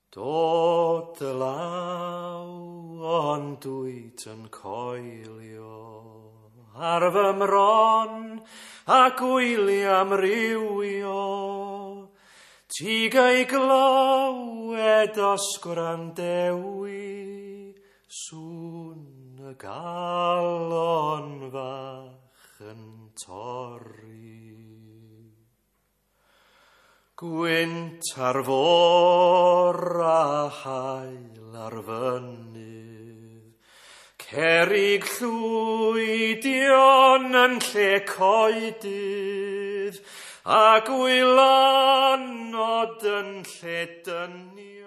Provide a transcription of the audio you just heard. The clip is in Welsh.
Dod dy law ond dwyt yn coelio ar fy mron a gwyliau amrywio. Ti gai glywed os gwrandewi sŵn y galon fach yn torri. Gwynt ar fôr a haul ar fynydd, Cerrig llwydion yn lle coedydd, a gwylanod yn lle dynion.